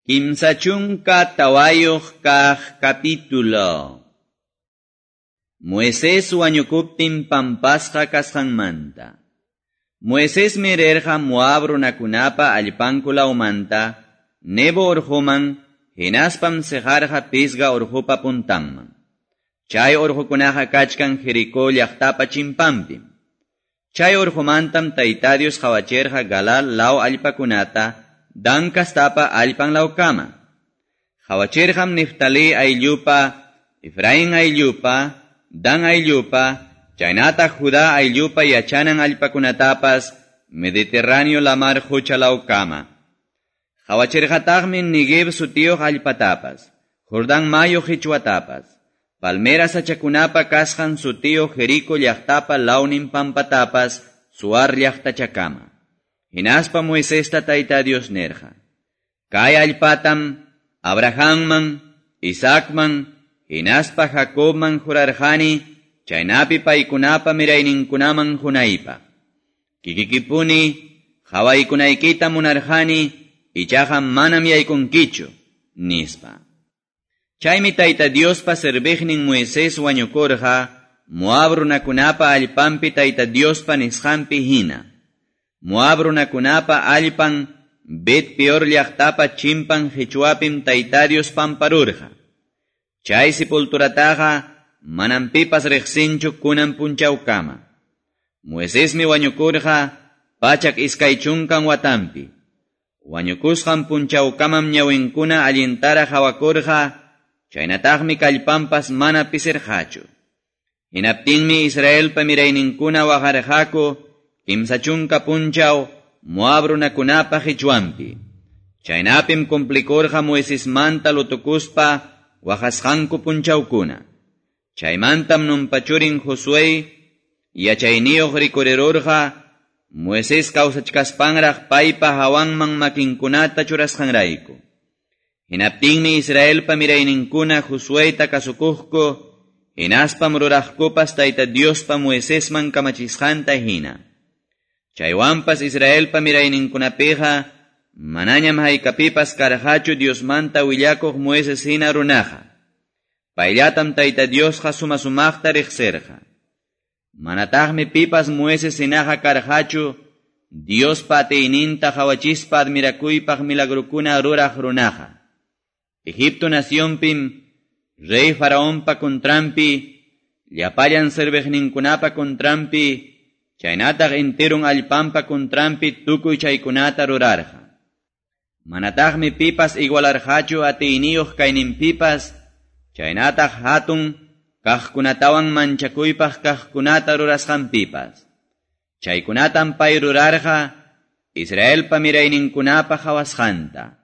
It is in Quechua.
34 kaq capítulo. Moisés wañukuptin pampasqa kasqanmanta. Moisésmi rirqa Moab runakunapa allpanku lawmanta, Nebo urquman, hinaspam siqarqa Pisga urqupa puntanman. Chay urqukunaqa kachkan Jericó llaqtapa chimpanpim. Chay urqumantam Tayta Dios qawachirqa Galaad law allpakunata, Dan kastapa allpan lawkama. Qawachirqam Neftalí ayllupa, Efraín ayllupa, Dan ayllupa, chaynataq Judá ayllupa yachanan allpakunatapas Mediterráneo lamar qucha lawkama. Qawachirqataqmi Neguev sutiyuq allpatapas, Jordán mayu qichwatapas, palmera sachakunapa kasqan sutiyuq Jericó llaqtapa lawnin pampatapas, Zoar llaqtachakama. Hinaspa Moisesta Tayta Dios nirqa: Kay allpatam Abrahamman, Isaacman, hinaspa Jacobman jurarqani, chaynapi paykunapa mirayninkunaman qunaypaq. Kikikipuni qawaykunaykita munarqani, ichaqa manam yaykunkichu, nispa. Chaymi Tayta Diospa serviqnin Moisés wañukurqa, Moab runakunapa allpanpi Tayta Diospa nisqanpi hina. Moab runakunapa allpan Bet Peor llaqtapa chimpan qichwapim Tayta Dios pamparurqa. Chay sepulturataqa manam pipas riqsinchu kunan punchawkama. Moisésmi wañukurqa 120 watanpi. Wañukusqan punchawkamam ñawinkuna allintara qawakurqa, chaynataqmi kallpanpas mana pisirqachu. Hinaptinmi Israelpa mirayninkuna waqarqaku 30 punchaw Moab runakunapa qichwanpi. Chaynapim cumplikurqa Moisesmanta lutukuspa waqasqanku punchawkuna. Chaymantam Nunpa churin Josué yachayniyuq rikurirurqa Moisés kawsachkaspanraq paypa hawanman makinkunata churasqanrayku. Hinaptinmi Israelpa mirayninkuna Josueta kasukuqku, hinaspam ruraqkupas Tayta Diospa Moisesman kamachisqanta hina. Chaywanpas Israelpa mirayninkunapiqa manañam haykapipas karqachu Diosmanta willakuq Moisés hina runaqa. Payllatam Tayta Diosqa suma-sumaqta riqsirqa. Manataqmi pipas Moisés hinaqa karqachu Diospa atiyninta qawachispa admirakuypaq milagrukuna ruraq runaqa. Egipto nacionpim rey Faraonpa contranpi, llapallan serviqninkunapa contranpi, chaynataq enterun allpanpa contranpi tukuy chaykunata rurarqa. Manataqmi pipas igualarqachu atiyniyuq kayninpipas, chaynataq hatun kaqkunatawan manchakuypaq kaqkunata rurasqanpipas. Chaykunatam pay rurarqa Israelpa mirayninkunapa qawasqanta.